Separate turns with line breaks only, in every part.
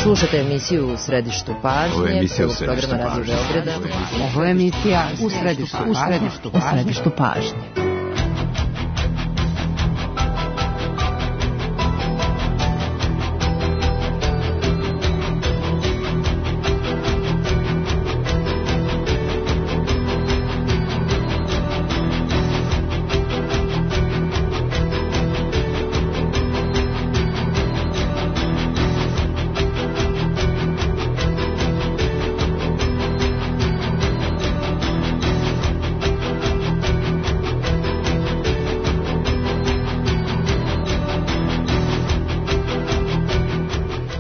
Slušate emisiju U središtu pažnje, prvog programa Radio Beograda.
Ovo je emisija U središtu pažnje.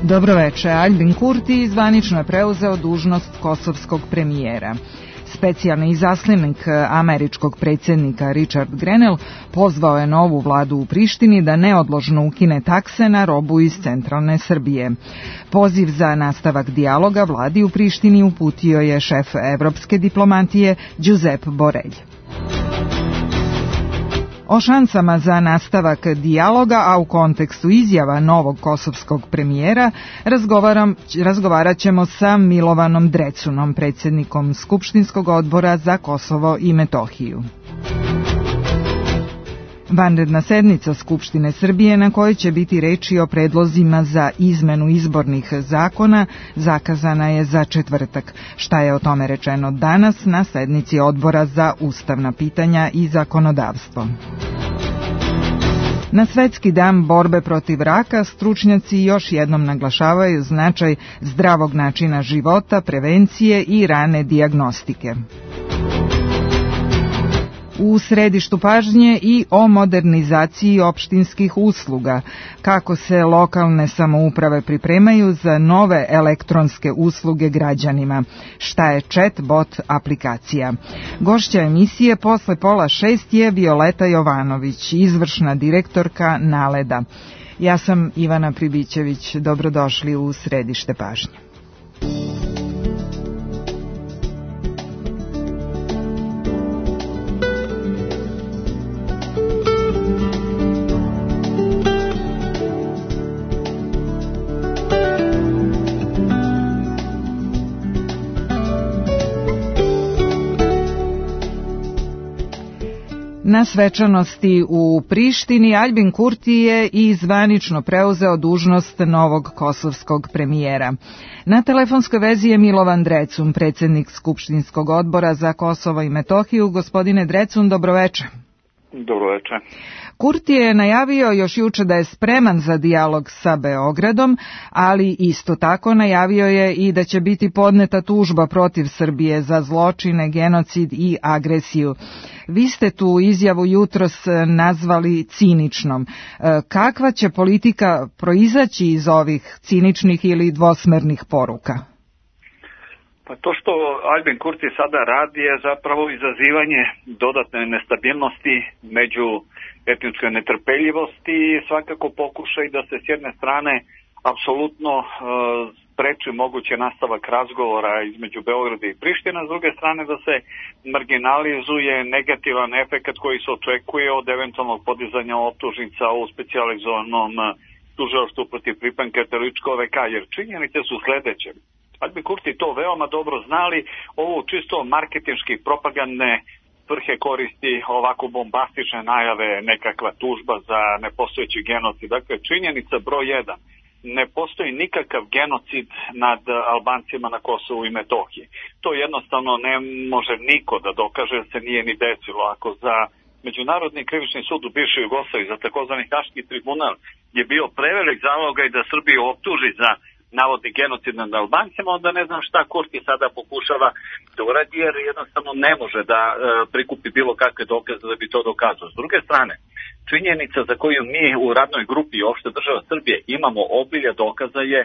Dobroveče, Albin Kurti zvanično je preuzeo dužnost kosovskog premijera. Specijalni izaslanik američkog predsjednika Richard Grenell pozvao je novu vladu u Prištini da neodložno ukine takse na robu iz centralne Srbije. Poziv za nastavak dijaloga vladi u Prištini uputio je šef evropske diplomatije Giuseppe Borrell. O šansama za nastavak dijaloga, a u kontekstu izjava novog kosovskog premijera, razgovarat ćemo sa Milovanom Drecunom, predsjednikom Skupštinskog odbora za Kosovo i Metohiju. Vanredna sednica Skupštine Srbije, na kojoj će biti reči o predlozima za izmenu izbornih zakona, zakazana je za četvrtak. Šta je o tome rečeno danas na sednici Odbora za ustavna pitanja i zakonodavstvo? Na Svetski dan borbe protiv raka stručnjaci još jednom naglašavaju značaj zdravog načina života, prevencije i rane dijagnostike. U središtu pažnje i o modernizaciji opštinskih usluga, kako se lokalne samouprave pripremaju za nove elektronske usluge građanima, šta je chat-bot aplikacija. Gošća emisije posle 5:30 je Violeta Jovanović, izvršna direktorka Naleda. Ja sam Ivana Pribićević, dobrodošli u središte pažnje. Na svečanosti u Prištini Albin Kurti je i zvanično preuzeo dužnost novog kosovskog premijera. Na telefonskoj vezi je Milovan Drecun, predsjednik Skupštinskog odbora za Kosovo i Metohiju. Gospodine Drecun, dobroveče.
Dobroveče.
Kurti je najavio još juče da je spreman za dijalog sa Beogradom, ali isto tako najavio je i da će biti podneta tužba protiv Srbije za zločine, genocid i agresiju. Vi ste tu izjavu jutros nazvali ciničnom. Kakva će politika proizaći iz ovih ciničnih ili dvosmernih poruka?
Pa to što Albin Kurti sada radi je zapravo izazivanje dodatne nestabilnosti među etničke netrpeljivosti i svakako pokušaj da se s jedne strane apsolutno spreči moguće nastavak razgovora između Beograda i Priština, s druge strane da se marginalizuje negativan efekt koji se očekuje od eventualnog podizanja optužnica u specijalizovanom tužilaštvu protiv pripadnika terorističkog OVK, jer činjenice su sledeće. Albin Kurti to veoma dobro znali, ovo čisto marketinški propagandne svrhe koristi ovako bombastične najave, nekakva tužba za nepostojeći genocid. Dakle, činjenica broj 1. Ne postoji nikakav genocid nad Albancima na Kosovu i Metohiji. To jednostavno ne može niko da dokaže, da se nije ni desilo. Ako za Međunarodni krivični sud u bivšoj Jugoslaviji, za takozvani Haški tribunal, je bio prevelik zalogaj da Srbiju optuži za navodni genocid nad Albancima, onda ne znam šta Kurti sada pokušava da uradi, jer jednostavno ne može da prikupi bilo kakve dokaze da bi to dokazao. S druge strane, činjenica za koju mi u radnoj grupi opšte država Srbije imamo obilje dokaza je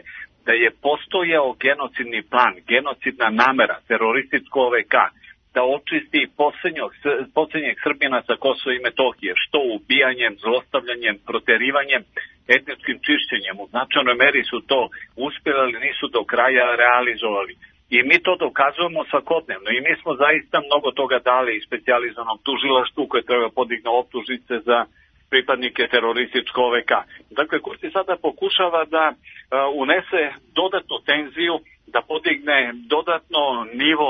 da je postojao genocidni plan, genocidna namera, terorističko OVK, da očisti poslednjeg Srbina sa Kosova i Metohije, što ubijanjem, zlostavljanjem, proterivanjem, etničkim čišćenjem. U značajnoj meri su to uspjeli, ali nisu do kraja realizovali. I mi to dokazujemo svakodnevno i mi smo zaista mnogo toga dali i specijalizovanom tužilaštvu koje treba podigna optužnice za pripadnike terorističkog OVK. Dakle, Kurti sada pokušava da unese dodatnu tenziju, da podigne dodatno nivo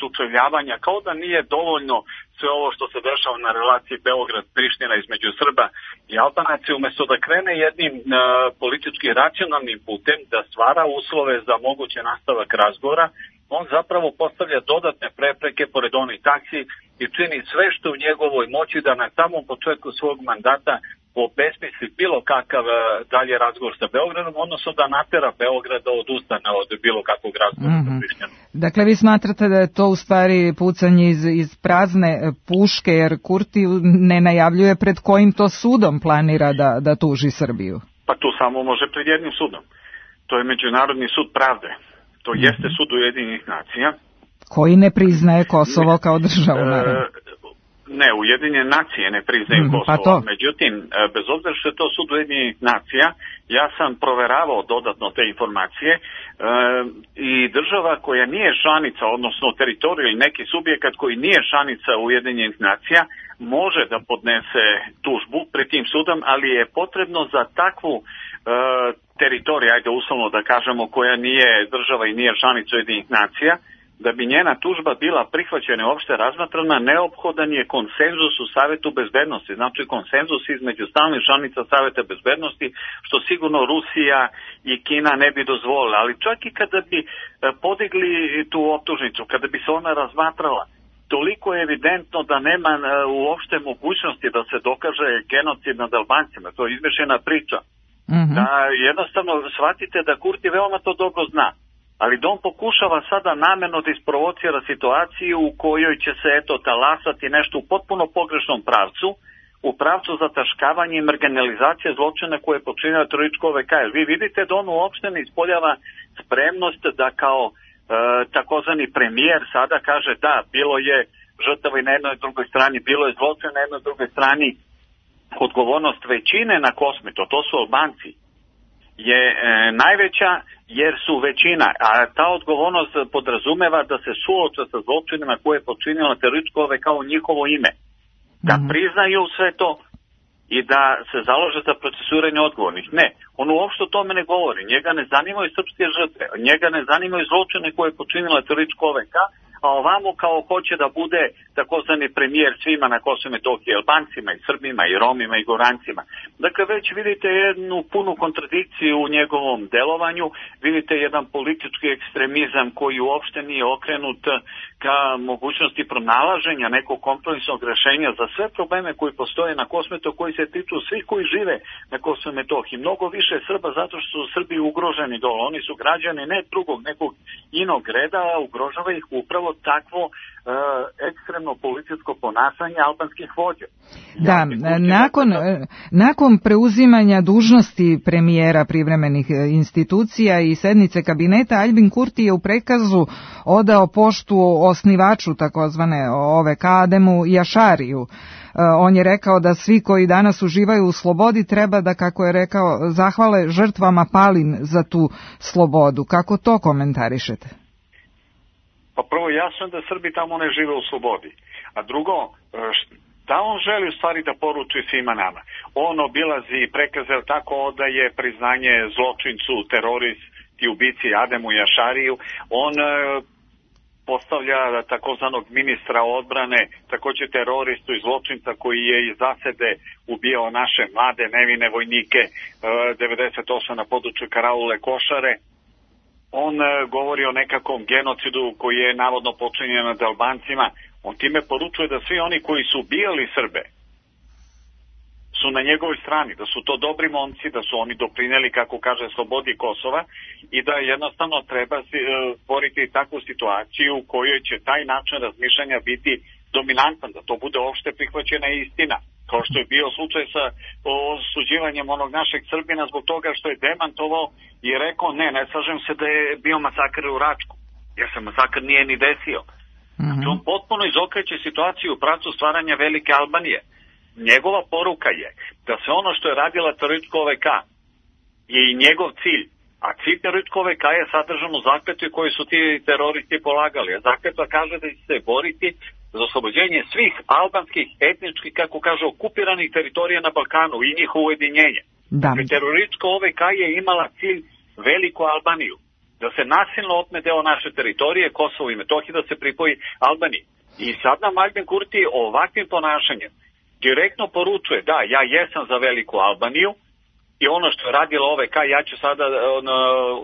sučeljavanja, kao da nije dovoljno sve ovo što se dešava na relaciji Beograd-Priština između Srba i Albanaca, umjesto da krene jednim politički racionalnim putem, da stvara uslove za moguće nastavak razgovora, on zapravo postavlja dodatne prepreke pored onih taksi i čini sve što u njegovoj moći da na samom početku svog mandata obesmisli bilo kakav dalje razgovor sa Beogradom, odnosno da natera Beograd da odustane od bilo kakvog razgovora sa Prištinom.
Dakle, vi smatrate da je to u stvari pucanje iz prazne puške, jer Kurti ne najavljuje pred kojim to sudom planira da tuži Srbiju?
Pa tu samo može pred jednim sudom. To je Međunarodni sud pravde. To jeste sud Ujedinjenih nacija.
Koji ne priznaje Kosovo kao državu, naravno.
Ne, Ujedinjene nacije ne priznaju Kosovo. Međutim, bez obzira što je to sud Ujedinjenih nacija, ja sam proveravao dodatno te informacije i država koja nije članica, odnosno teritorij ili neki subjekat koji nije članica Ujedinjenih nacija, može da podnese tužbu pred tim sudom, ali je potrebno za takvu teritoriju, ajde uslovno da kažemo, koja nije država i nije članica Ujedinjenih nacija, da bi njena tužba bila prihvaćena i uopšte razmatrana, neophodan je konsenzus u Savetu bezbednosti, znači konsenzus između stalnih članica Saveta bezbednosti, što sigurno Rusija i Kina ne bi dozvolila. Ali čak i kada bi podigli tu optužnicu, kada bi se ona razmatrala, toliko je evidentno da nema uopšte mogućnosti da se dokaže genocid nad Albancima, to je izmišljena priča. Da jednostavno shvatite da Kurti veoma to dobro zna. Ali da on pokušava sada namerno da isprovocira situaciju u kojoj će se talasati nešto u potpuno pogrešnom pravcu, u pravcu zataškavanja i marginalizacije zločina koje je počinila terorističko OVK. Vi vidite da on uopšte ne ispoljava spremnost da kao takozvani premijer sada kaže da, bilo je žrtava i na jednoj i drugoj strani, bilo je zločina na jednoj i drugoj strani. Odgovornost većine na Kosmetu, to su Albanci, je najveća jer su većina, a ta odgovornost podrazumeva da se suoče sa zločinima koje je počinila terorističko OVK kao njihovo ime. Da priznaju sve to i da se založe za procesuiranje odgovornih. Ne, on uopšte o tome ne govori. Njega ne zanimaju srpske žrtve, njega ne zanimaju zločine koje je počinila terorističko OVK, a ovamo kao hoće da bude takozvani premijer svima na Kosovu i Metohiji, Albancima i Srbima i Romima i Gorancima. Dakle, već vidite jednu punu kontradikciju u njegovom delovanju, vidite jedan politički ekstremizam koji uopšte nije okrenut ka mogućnosti pronalaženja nekog kompromisnog rešenja za sve probleme koji postoje na Kosovu, koji se tiču svih koji žive na Kosovu i Metohiji. Mnogo više Srba zato što su Srbi ugroženi dole. Oni su građani ne drugog, nekog inog reda, a ugrožava ih upravo takvo ekstremno političko ponašanje albanskih vođa.
Da, nakon preuzimanja dužnosti premijera privremenih institucija i sednice kabineta, Aljbin Kurti je u prekazu odao poštu osnivaču takozvane OVK Ademu Jašariju. On je rekao da svi koji danas uživaju u slobodi treba da, kako je rekao, zahvale žrtvama palim za tu slobodu. Kako to komentarišete?
Pa prvo, jasno da Srbi tamo ne žive u slobodi. A drugo, da on želi u stvari da poruči svima nama. On obilazi i prekaze tako da je priznanje zločincu, teroristi, ubici Ademu Jašariju. On postavlja takozvanog ministra odbrane, također teroristu i zločinca koji je iz zasede ubijao naše mlade nevine vojnike 98 na području Karaule Košare. On govori o nekakvom genocidu koji je navodno počinjen nad Albancima. On time poručuje da svi oni koji su ubijali Srbe su na njegovoj strani, da su to dobri momci, da su oni doprineli, kako kaže, slobodi Kosova i da jednostavno treba stvoriti takvu situaciju u kojoj će taj način razmišljanja biti dominantan, da to bude opšte prihvaćena istina. Kao što je bio slučaj sa osuđivanjem onog našeg Srbina zbog toga što je demantovao i rekao ne slažem se da je bio masakr u Račku, jer se masakr nije ni desio. Znači on potpuno izokreće situaciju u pravcu stvaranja velike Albanije. Njegova poruka je da sve ono što je radila terorističko OVK je i njegov cilj, a cilj terorističko OVK je sadržan u zakletvi koju su ti teroristi polagali. A zakletva kaže da će se boriti za oslobođenje svih albanskih, etničkih, kako kaže, okupiranih teritorija na Balkanu i njihovo ujedinjenje. Dakle, teroristička OVK je imala cilj Veliku Albaniju, da se nasilno otme deo naše teritorije, Kosovo i Metohije, da se pripoji Albaniji. I sad nam Aljbin Kurti ovakvim ponašanjem direktno poručuje, da, ja jesam za Veliku Albaniju i ono što je radila OVK, ja ću sada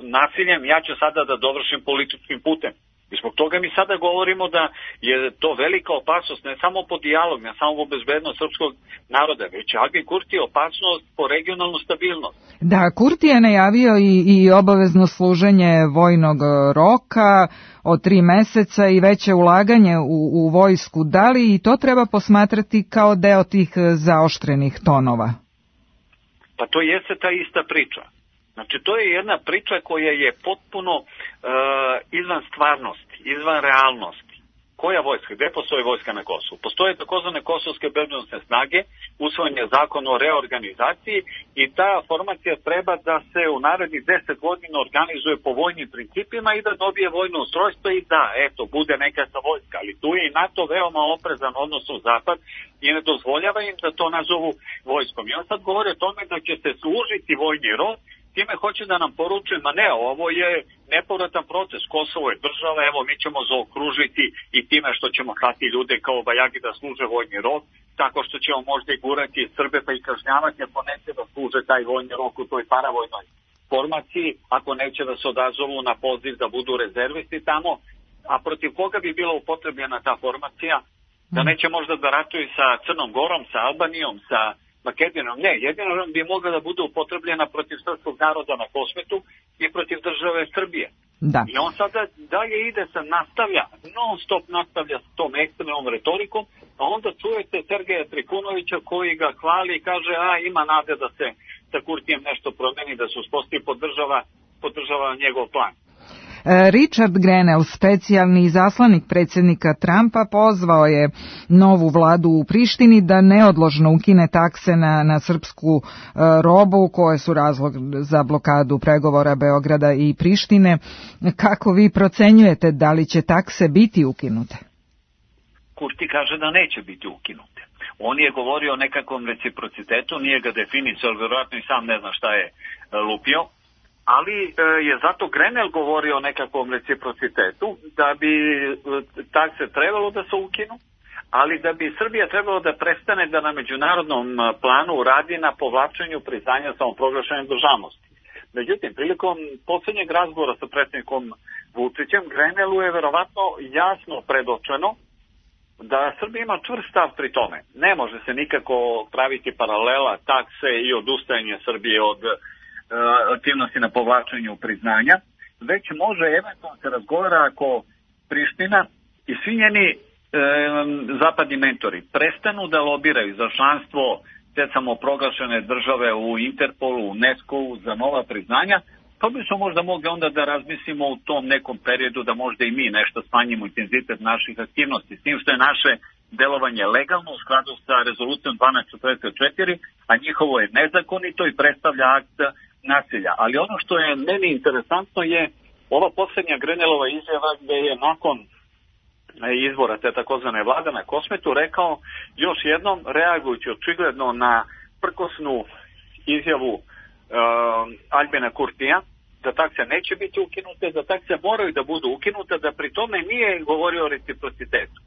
nasiljem, ja ću sada da dovršim političkim putem. I zbog toga mi sada govorimo da je to velika opasnost, ne samo po dijalog, ne samo po bezbednost srpskog naroda, već Aljbin Kurti je opasnost po regionalnu stabilnost.
Da, Kurti je najavio i obavezno služenje vojnog roka od 3 meseca i veće ulaganje u vojsku. Da li i to treba posmatrati kao deo tih zaoštrenih tonova?
Pa to jeste ta ista priča. Znači, to je jedna priča koja je potpuno izvan stvarnosti, izvan realnosti. Koja vojska? Gde postoji vojska na Kosovu? Postoje takozvane kosovske bezbednosne snage, usvojen je zakon o reorganizaciji i ta formacija treba da se u narednih 10 godina organizuje po vojnim principima i da dobije vojno ustrojstvo i da, eto, bude nekakva vojska. Ali tu je i NATO veoma oprezan, odnosno Zapad, i ne dozvoljava im da to nazovu vojskom. I on sad govori o tome da će se služiti vojni rod, time hoće da nam poručuje, ma ne, ovo je nepovratan proces, Kosovo je država, evo mi ćemo zaokružiti i time što ćemo hati ljude kao bajagi da služe vojni rok, tako što ćemo možda i gurati Srbe pa i kažnjavati ako neće da služe taj vojni rok u toj paravojnoj formaciji, ako neće da se odazovu na poziv da budu rezervisti tamo, a protiv koga bi bila upotrebljena ta formacija, da neće možda da ratuju sa Crnom Gorom, sa Albanijom, sa Makedonijom, ne, jedino bi mogla da bude upotrebljena protiv srpskog naroda na Kosmetu i protiv države Srbije.
Da.
I on sada dalje ide se nastavlja, non stop nastavlja s tom ekstremnom retorikom, a onda čujete Sergeja Trikunovića koji ga hvali i kaže, ima nade da se sa Kurtijem nešto promeni, da se uspostavi, podržava njegov plan.
Richard Grenell, specijalni izaslanik predsjednika Trumpa, pozvao je novu vladu u Prištini da neodložno ukine takse na srpsku robu koje su razlog za blokadu pregovora Beograda i Prištine. Kako vi procenjujete da li će takse biti ukinute?
Kurti kaže da neće biti ukinute. On je govorio o nekakvom reciprocitetu, nije ga definicao, vjerojatno i sam ne zna šta je lupio. Ali je zato Grenell govorio o nekakvom reciprocitetu, da bi takse trebalo da se ukinu, ali da bi Srbija trebalo da prestane da na međunarodnom planu radi na povlačenju priznanja samoproglašene državnosti. Međutim, prilikom posljednjeg razgovora sa predsjednikom Vučićem, Grenellu je verovatno jasno predočeno da Srbija ima čvrst stav pri tome. Ne može se nikako praviti paralela takse i odustajanje Srbije od aktivnosti na povlačenju priznanja, već može eventualno se razgovara ako Priština i svi njeni zapadni mentori prestanu da lobiraju za članstvo te samoproglašene države u Interpolu, UNESCO-u za nova priznanja, pa bi smo možda mogli onda da razmislimo u tom nekom periodu da možda i mi nešto smanjimo intenzitet naših aktivnosti, s tim što je naše delovanje legalno u skladu sa rezolucijom 1244, a njihovo je nezakonito i predstavlja akt nasilja. Ali ono što je meni interesantno je ova posljednja Grenellova izjava gde je nakon izbora te takozvane vlade na Kosmetu rekao još jednom, reagujući očigledno na prkosnu izjavu Aljbina Kurtija, da takse neće biti ukinute, da takse moraju da budu ukinute, da pri tome nije govorio o reciprocitetu.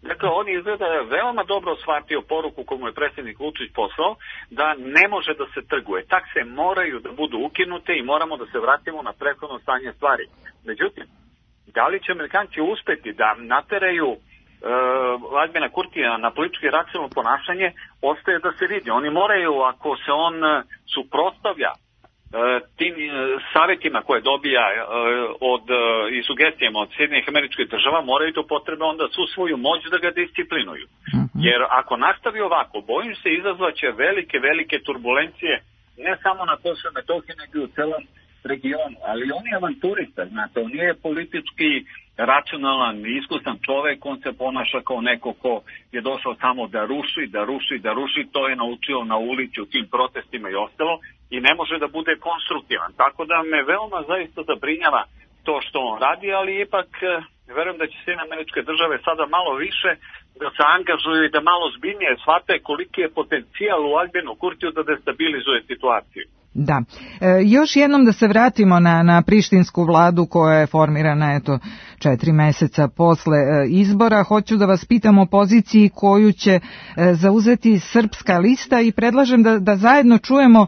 Dakle, on izgleda veoma dobro shvatio poruku koju je predsjednik Vučić poslao, da ne može da se trguje. Takse moraju da budu ukinute i moramo da se vratimo na prethodno stanje stvari. Međutim, da li će Amerikanci uspeti da nateraju Aljbina Kurtija na politički racionalno ponašanje, ostaje da se vidi. Oni moraju, ako se on suprotstavlja tim savjetima koje dobija i sugestijama od Sjedinjenih Američkih Država, moraju to potrebe onda su svoju moć da ga disciplinuju. Jer ako nastavi ovako, bojim se izazvaće velike turbulencije ne samo na Kosovu i Metohiji, nego i u celom regionu. Ali on je avanturista, znate, on nije politički racionalan, iskusan čovek, on se ponaša kao neko ko je došao samo da ruši, to je naučio na ulici u tim protestima i ostalo i ne može da bude konstruktivan. Tako da me veoma zaista zabrinjava to što on radi, ali ipak verujem da će Sjedinjene Američke Države sada malo više da se angažuju i da malo zbiljnije shvate koliki je potencijal u Aljbinu Kurtiju da destabilizuje situaciju.
Da. Još jednom da se vratimo na prištinsku vladu koja je formirana 4 meseca posle izbora. Hoću da vas pitam o poziciji koju će zauzeti Srpska lista i predlažem da zajedno čujemo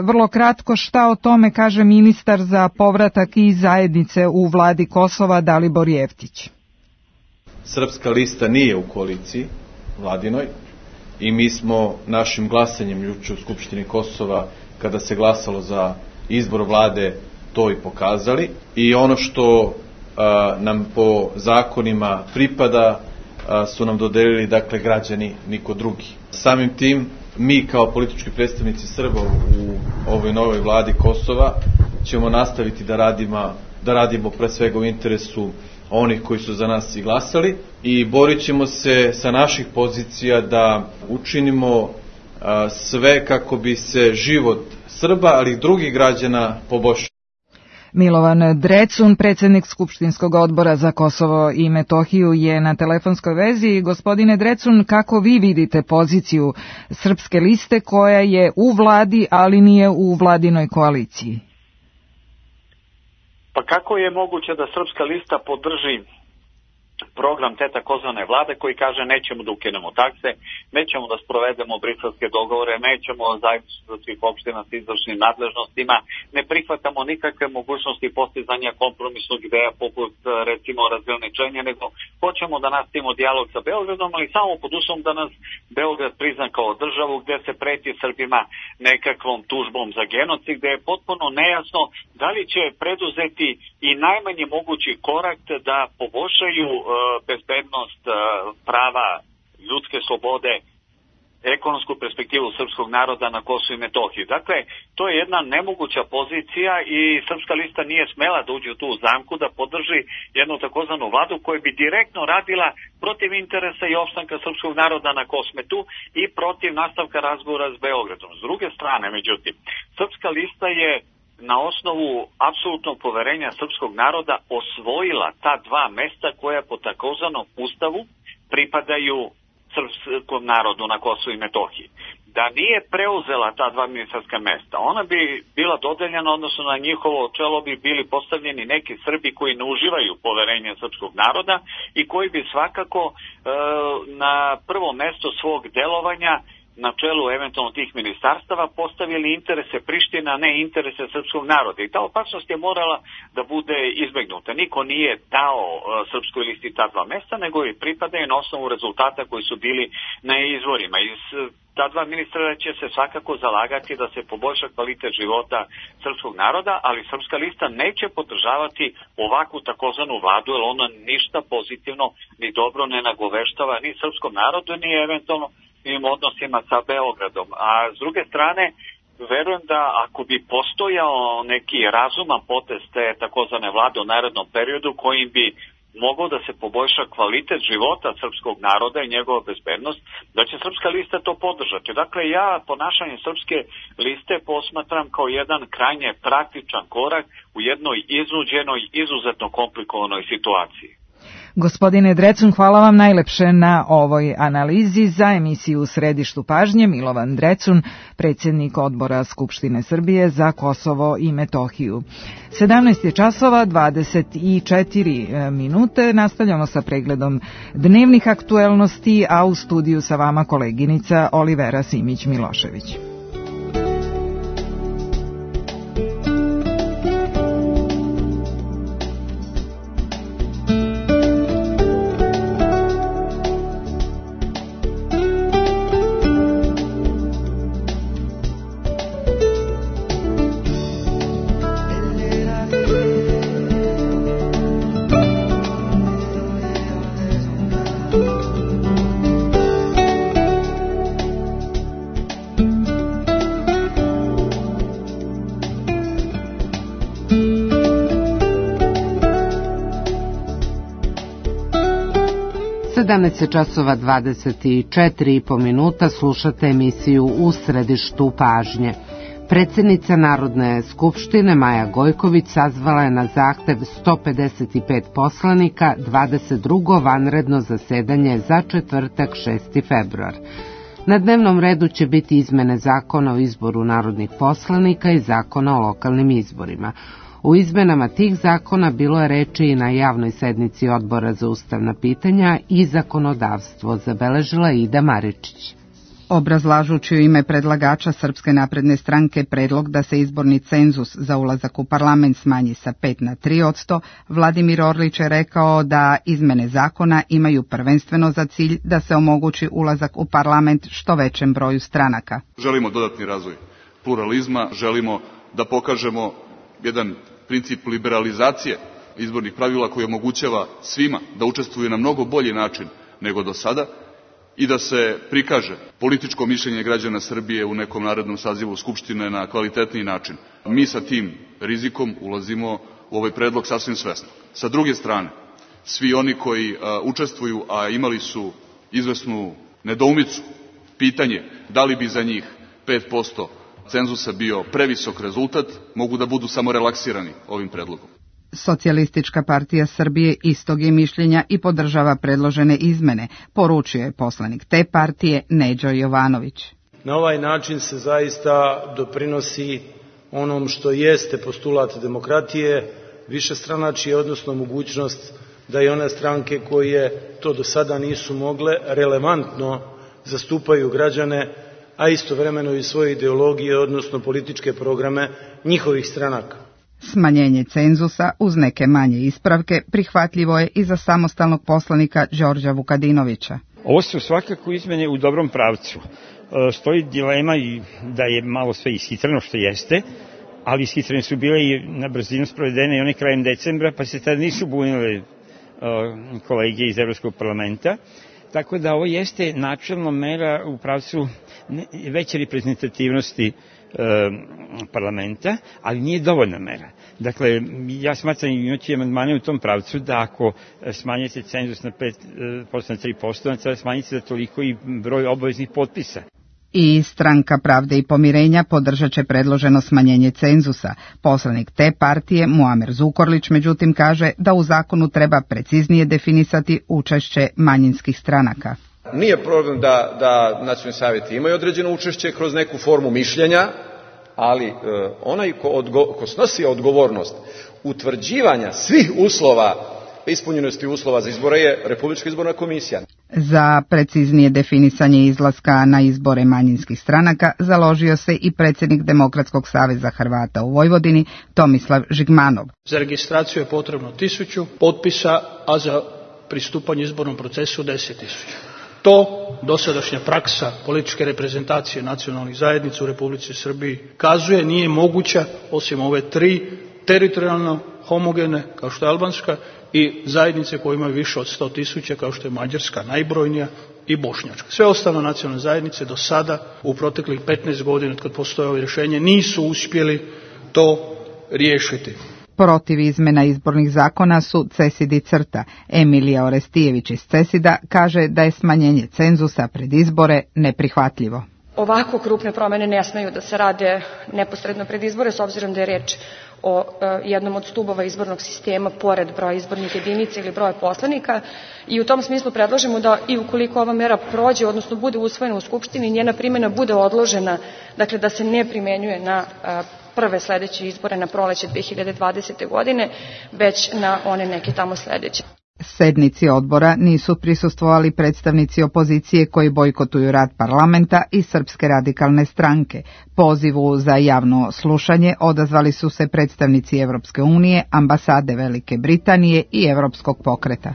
vrlo kratko šta o tome kaže ministar za povratak i zajednice u vladi Kosova Dalibor Jeftić.
Srpska lista nije u koaliciji vladinoj i mi smo našim glasanjem juče u Skupštini Kosova, kada se glasalo za izbor vlade, to i pokazali. I ono što nam po zakonima pripada su nam dodelili, dakle, građani, niko drugi. Samim tim, mi kao politički predstavnici Srba u ovoj novoj vladi Kosova ćemo nastaviti da radimo pre svega u interesu onih koji su za nas i glasali i borit ćemo se sa naših pozicija da učinimo sve kako bi se život Srba, ali i drugih građana poboljšao.
Milovan Drecun, predsjednik Skupštinskog odbora za Kosovo i Metohiju, je na telefonskoj vezi. Gospodine Drecun, kako vi vidite poziciju Srpske liste koja je u vladi, ali nije u vladinoj koaliciji?
Pa kako je moguće da Srpska lista podrži program te takozvane vlade koji kaže nećemo da ukinemo takse, nećemo da sprovedemo briselske dogovore, nećemo zajedništvo svih opština s izvršnim nadležnostima, ne prihvatamo nikakve mogućnosti postizanja kompromisnog ideja poput recimo razgraničenja, nego hoćemo da nastavimo dijalog sa Beogradom, ali samo pod uslovom da nas Beograd prizna kao državu gde se preti Srbima nekakvom tužbom za genocid, gde je potpuno nejasno da li će preduzeti i najmanji mogući korak da poboljšaju bezbednost, prava, ljudske slobode, ekonomsku perspektivu srpskog naroda na Kosovu i Metohiji. Dakle, to je jedna nemoguća pozicija i Srpska lista nije smela da uđe u tu zamku da podrži jednu takozvanu vladu koja bi direktno radila protiv interesa i opstanka srpskog naroda na Kosmetu i protiv nastavka razgovora s Beogradom. S druge strane, međutim, Srpska lista je na osnovu apsolutnog poverenja srpskog naroda osvojila ta 2 mesta koja po takozvanom ustavu pripadaju srpskom narodu na Kosovu i Metohiji. Da nije preuzela ta 2 ministarska mesta, ona bi bila dodeljena, odnosno na njihovo čelo bi bili postavljeni neki Srbi koji ne uživaju poverenje srpskog naroda i koji bi svakako na prvo mesto svog delovanja na čelu eventualno tih ministarstava postavili interese Prištine, a ne interese srpskog naroda. I ta opasnost je morala da bude izbegnuta. Niko nije dao Srpskoj listi ta 2 mesta, nego je pripadaju na osnovu rezultata koji su bili na izvorima. I ta 2 ministra će se svakako zalagati da se poboljša kvalitet života srpskog naroda, ali Srpska lista neće podržavati ovakvu takozvanu vladu, jer ona ništa pozitivno ni dobro ne nagoveštava ni srpskom narodu, ni eventualno odnosima sa Beogradom. A s druge strane, verujem da ako bi postojao neki razuman potez te takozvane vlade u narednom periodu kojim bi mogao da se poboljša kvalitet života srpskog naroda i njegova bezbednost, da će Srpska lista to podržati. Dakle, ja ponašanje Srpske liste posmatram kao jedan krajnje praktičan korak u jednoj iznuđenoj, izuzetno komplikovanoj situaciji.
Gospodine Drecun, hvala vam najlepše na ovoj analizi. Za emisiju U središtu pažnje Milovan Drecun, predsjednik odbora Skupštine Srbije za Kosovo i Metohiju. 17 je časova, 24 minute. Nastavljamo sa pregledom dnevnih aktuelnosti, a u studiju sa vama koleginica Olivera Simić-Milošević.
časova 24,5 minuta slušate emisiju U središtu pažnje. Predsjednica Narodne skupštine Maja Gojković sazvala je na zahtev 155 poslanika 22. vanredno zasedanje za četvrtak 6. februar. Na dnevnom redu će biti izmene zakona o izboru narodnih poslanika i zakona o lokalnim izborima. U izmenama tih zakona bilo je reči i na javnoj sednici Odbora za ustavna pitanja i zakonodavstvo, zabeležila Ida Maričić.
Obrazlažući u ime predlagača Srpske napredne stranke predlog da se izborni cenzus za ulazak u parlament smanji sa 5 na 3%, Vladimir Orlić je rekao da izmene zakona imaju prvenstveno za cilj da se omogući ulazak u parlament što većem broju stranaka.
Želimo dodatni razvoj pluralizma, želimo da pokažemo jedan princip liberalizacije izbornih pravila koji omogućava svima da učestvuju na mnogo bolji način nego do sada i da se prikaže političko mišljenje građana Srbije u nekom narednom sazivu Skupštine na kvalitetniji način. Mi sa tim rizikom ulazimo u ovaj predlog sasvim svesno. Sa druge strane, svi oni koji učestvuju, a imali su izvesnu nedoumicu, pitanje da li bi za njih 5% cenzusa bio previsok rezultat, mogu da budu samo relaksirani ovim predlogom.
Socijalistička partija Srbije istog je mišljenja i podržava predložene izmene, poručio je poslanik te partije Neđo Jovanović.
Na ovaj način se zaista doprinosi onom što jeste postulat demokratije, višestranačje, odnosno mogućnost da i one stranke koje to do sada nisu mogle relevantno zastupaju građane, a istovremeno i svoje ideologije, odnosno političke programe njihovih stranaka.
Smanjenje cenzusa uz neke manje ispravke prihvatljivo je i za samostalnog poslanika Đorđa Vukadinovića.
Ovo su svakako izmene u dobrom pravcu. Stoji dilema i da je malo sve ishitreno što jeste, ali ishitrene su bile i na brzinu sprovedene i one krajem decembra, pa se tada nisu bunile kolege iz Evropskog parlamenta. Tako da ovo jeste načelna mera u pravcu veće reprezentativnosti parlamenta, ali nije dovoljna mera. Dakle, ja smatram imajući amandmane u tom pravcu da ako smanjite cenzus na 5% na 3%, treba smanjiti za toliko i broj obaveznih potpisa.
I Stranka pravde i pomirenja podržat će predloženo smanjenje cenzusa. Poslanik te partije Muamer Zukorlić međutim kaže da u zakonu treba preciznije definisati učešće manjinskih stranaka.
Nije problem da nacionalni savjeti imaju određeno učešće kroz neku formu mišljenja, ali onaj ko snosi odgovornost utvrđivanja svih uslova, ispunjenosti uslova za izbore je Republička izborna komisija.
Za preciznije definisanje izlaska na izbore manjinskih stranaka založio se i predsjednik Demokratskog saveza Hrvata u Vojvodini Tomislav Žigmanov.
Za registraciju je potrebno 1000 potpisa, a za pristupanje izbornom procesu 10.000. To dosadašnja praksa političke reprezentacije nacionalnih zajednica u Republici Srbiji kazuje nije moguća osim ove 3 teritorijalno homogene kao što je albanska i zajednice koje imaju više od 100.000 kao što je mađarska najbrojnija i bošnjačka. Sve ostale nacionalne zajednice do sada u proteklih 15 godina kad postoje ovo rješenje nisu uspjeli to riješiti.
Protiv izmena izbornih zakona su Cesidi Crta. Emilija Orestijević iz Cesida kaže da je smanjenje cenzusa pred izbore neprihvatljivo.
Ovako krupne promjene ne smeju da se rade neposredno pred izbore, s obzirom da je reč o jednom od stubova izbornog sistema pored broja izbornih jedinica ili broja poslanika i u tom smislu predlažemo da i ukoliko ova mera prođe, odnosno bude usvojena u Skupštini, njena primjena bude odložena, dakle da se ne primenjuje na prve sledeće izbore na proleće 2020. godine, već na one neke tamo sledeće.
Sednici odbora nisu prisustvovali predstavnici opozicije koji bojkotuju rad parlamenta i Srpske radikalne stranke. Pozivu za javno slušanje odazvali su se predstavnici Evropske unije, ambasade Velike Britanije i Evropskog pokreta.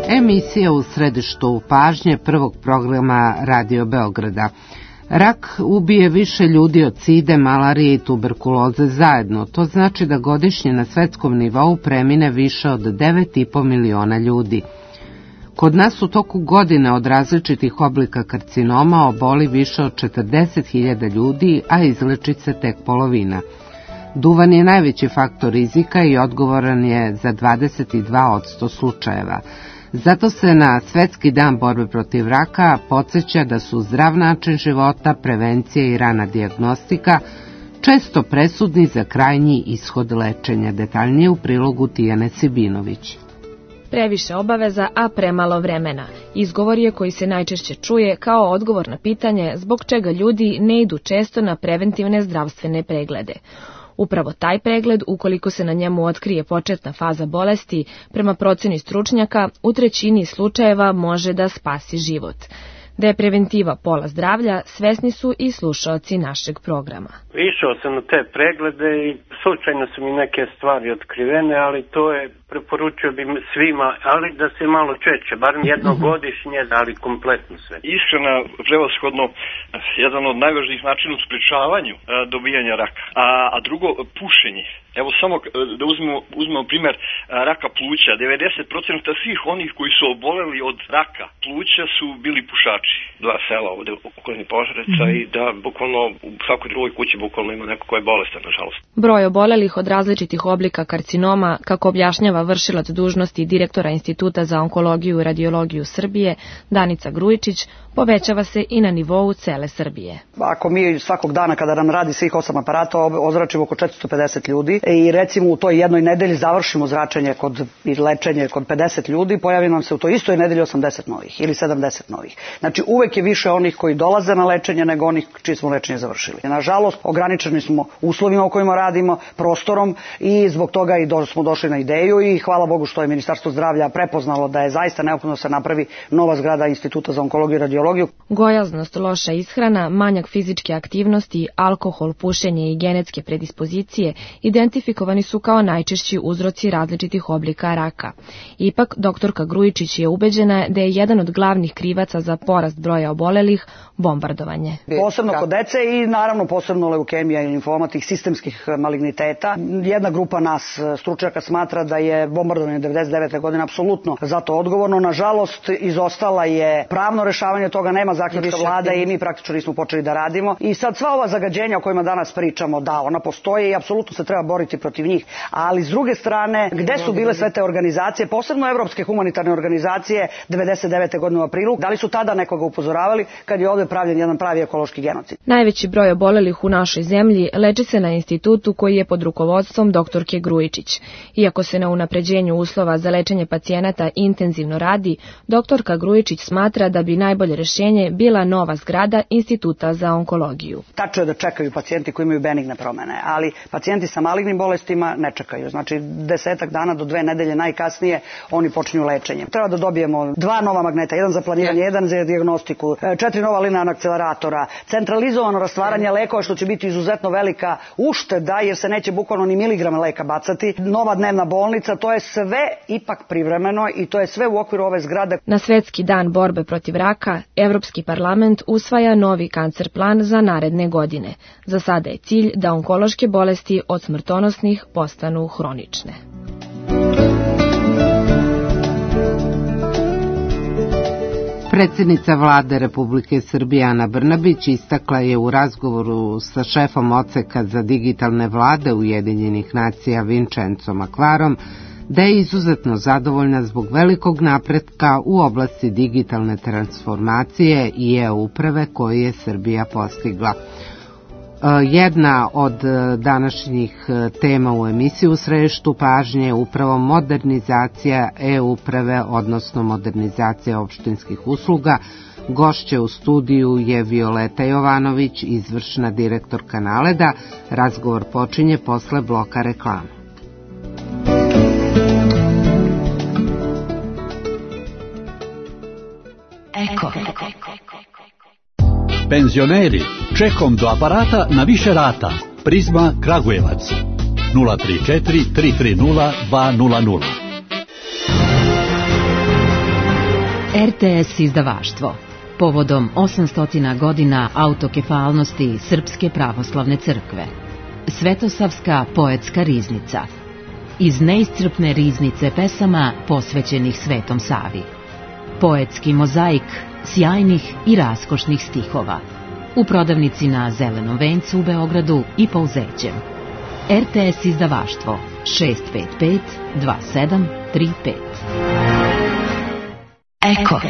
Emisija u središtu pažnje prvog programa Radio Beograda. Rak ubije više ljudi od side, malarije i tuberkuloze zajedno. To znači da godišnje na svetskom nivou premine više od 9,5 miliona ljudi. Kod nas u toku godine od različitih oblika karcinoma oboli više od 40.000 ljudi, a izleči se tek polovina. Duvan je najveći faktor rizika i odgovoran je za 22% slučajeva. Zato se na Svetski dan borbe protiv raka podsjeća da su zdrav način života, prevencija i rana dijagnostika često presudni za krajnji ishod lečenja. Detaljnije u prilogu Tijane Sibinović.
Previše obaveza, a premalo vremena. Izgovor je koji se najčešće čuje kao odgovor na pitanje zbog čega ljudi ne idu često na preventivne zdravstvene preglede. Upravo taj pregled, ukoliko se na njemu otkrije početna faza bolesti, prema proceni stručnjaka, u 1/3 slučajeva može da spasi život. Da je preventiva pola zdravlja, svesni su i slušaoci našeg programa.
Išao sam na te preglede i slučajno su mi neke stvari otkrivene, ali to je, preporučio bi svima, ali da se malo češće, barem jednogodišnje, ali kompletno sve.
Ishrana prevashodno jedan od najvažnijih načina u sprečavanju dobijanja raka, a drugo pušenje. Evo samo da uzmemo primjer raka pluća. 90% svih onih koji su oboleli od raka pluća su bili pušači. 2 sela ovde u okolini Požarevca i da bukvalno u svakoj drugoj kući bukvalno ima neko ko je bolestan, nažalost.
Broj obolelih od različitih oblika karcinoma, kako objašnjava vršilac dužnosti direktora Instituta za onkologiju i radiologiju Srbije, Danica Grujičić, povećava se i na nivou cele Srbije.
Ako mi svakog dana kada nam radi svih 8 aparata ozračimo oko 450 ljudi i recimo u toj jednoj nedelji završimo zračenje i lečenje kod 50 ljudi, pojavi nam se u toj istoj nedelji 80 novih ili 70 novih. Znači uvek je više onih koji dolaze na lečenje nego onih čiji smo lečenje završili. Nažalost, ograničeni smo uslovima u kojima radimo, prostorom i zbog toga i smo došli na ideju i hvala Bogu što je Ministarstvo zdravlja prepoznalo da je zaista neophodno da se napravi nova zgrada Instituta za onkologiju i radiologiju.
Gojaznost, loša ishrana, manjak fizičke aktivnosti, alkohol, pušenje i genetske predispozicije identifikovani su kao najčešći uzroci različitih oblika raka. Ipak, doktorka Grujičić je ubeđena da je jedan od glavnih krivaca za porast broja obolelih bombardovanje.
Posebno kod dece i naravno posebno leukemija i limfoma, tih sistemskih maligniteta. Jedna grupa nas stručnjaka smatra da je bombardovanje 99. godine apsolutno za to odgovorno. Nažalost, izostala je pravno rešavanje toga, nema zaključka vlade i mi praktično nismo počeli da radimo. I sad sva ova zagađenja o kojima danas pričamo, da, ona postoje i apsolutno se treba boriti protiv njih. Ali s druge strane, gde su bile sve te organizacije, posebno evropske humanitarne organizacije 99. godine u aprilu, da li su tada nekoga upozoravali kad je ovde pravljen jedan pravi ekološki genocid?
Najveći broj obolelih u našoj zemlji leči se na institutu koji je pod rukovodstvom doktorke Grujičić. Iako se na unapređenju uslova za lečenje pacijenata intenzivno radi, doktorka Grujičić smatra da bi najbolje rešenje bila nova zgrada Instituta za onkologiju.
Tačno je da čekaju pacijenti koji imaju benigne promene, ali pacijenti sa malignim bolestima ne čekaju. Znači 10 dana do 2 nedelje najkasnije oni počinju lečenje. Treba da dobijemo 2 nova magneta, jedan za planiranje, jedan za dijagnostiku, 4 nova linearna akceleratora, centralizovano rastvaranje lekova što će biti izuzetno velika ušteda jer se neće bukvalno ni miligrama leka bacati, nova dnevna bolnica, to je sve ipak privremeno i to je sve u okviru ove zgrade.
Na Svetski dan borbe protiv raka, Evropski parlament usvaja novi kancer plan za naredne godine. Za sada je cilj da onkološke bolesti od smrtonosnih postanu hronične.
Predsjednica vlade Republike Srbije Ana Brnabić istakla je u razgovoru sa šefom odseka za digitalne vlade Ujedinjenih nacija Vinčencom Akvarom da je izuzetno zadovoljna zbog velikog napretka u oblasti digitalne transformacije i e-uprave koju je Srbija postigla. Jedna od današnjih tema u emisiji u središtu pažnje je upravo modernizacija e-uprave, odnosno modernizacija opštinskih usluga. Gošće u studiju je Violeta Jovanović, izvršna direktorka Naleda. Razgovor počinje posle bloka reklama.
Eko. Penzioneri, čekom do aparata na više rata. Prizma Kragujevac 034 330 200.
RTS izdavaštvo. Povodom 800 godina autokefalnosti Srpske pravoslavne crkve. Svetosavska poetska riznica. Iz neiscrpne riznice pesama posvećenih Svetom Savi. Poetski mozaik sjajnih i raskošnih stihova. U prodavnici na Zelenom vencu u Beogradu i Pouzećem. RTS izdavaštvo 655 2735. Eko.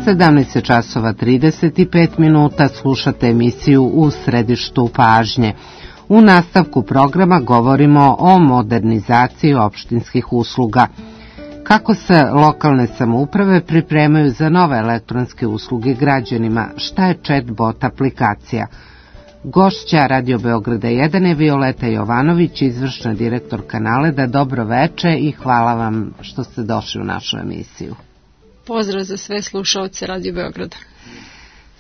Sedamnaest časova 35 minuta, slušate emisiju U središtu pažnje. U nastavku programa govorimo o modernizaciji opštinskih usluga. Kako se lokalne samouprave pripremaju za nove elektronske usluge građanima? Šta je chatbot aplikacija? Gošća Radio Beograda 1 je Violeta Jovanović, izvršna direktorka Naleda. Dobro veče i hvala vam što ste došli u našu emisiju.
Pozdrav za sve slušaoce Radio Beograda.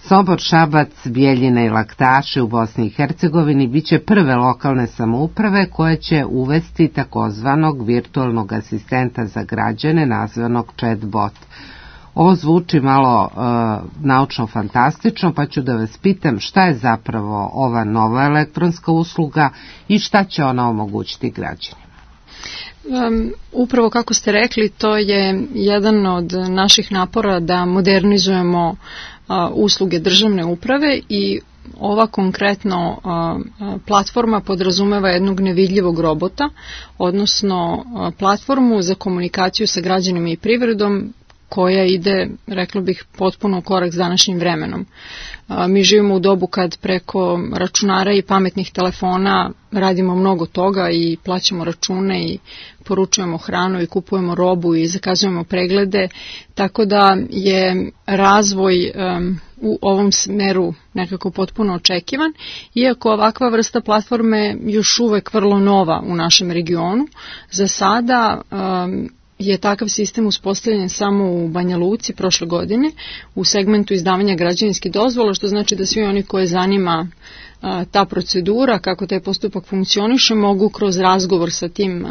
Sombor, Šabac, Bijeljina i Laktaši u Bosni i Hercegovini biće prve lokalne samouprave koje će uvesti takozvanog virtualnog asistenta za građane nazvanog chatbot. Ovo zvuči malo naučno-fantastično, pa ću da vas pitam šta je zapravo ova nova elektronska usluga i šta će ona omogućiti građanima.
Upravo kako ste rekli, to je jedan od naših napora da modernizujemo usluge državne uprave i ova konkretno platforma podrazumeva jednog nevidljivog robota, odnosno platformu za komunikaciju sa građanima i privredom koja ide, rekla bih, potpuno u korak s današnjim vremenom. Mi živimo u dobu kad preko računara i pametnih telefona radimo mnogo toga i plaćamo račune i poručujemo hranu i kupujemo robu i zakazujemo preglede, tako da je razvoj u ovom smeru nekako potpuno očekivan, iako ovakva vrsta platforme još uvek vrlo nova u našem regionu. Za sada je takav sistem uspostavljen samo u Banja Luci prošle godine u segmentu izdavanja građevinskih dozvola, što znači da svi oni koje zanima ta procedura, kako taj postupak funkcioniše, mogu kroz razgovor sa tim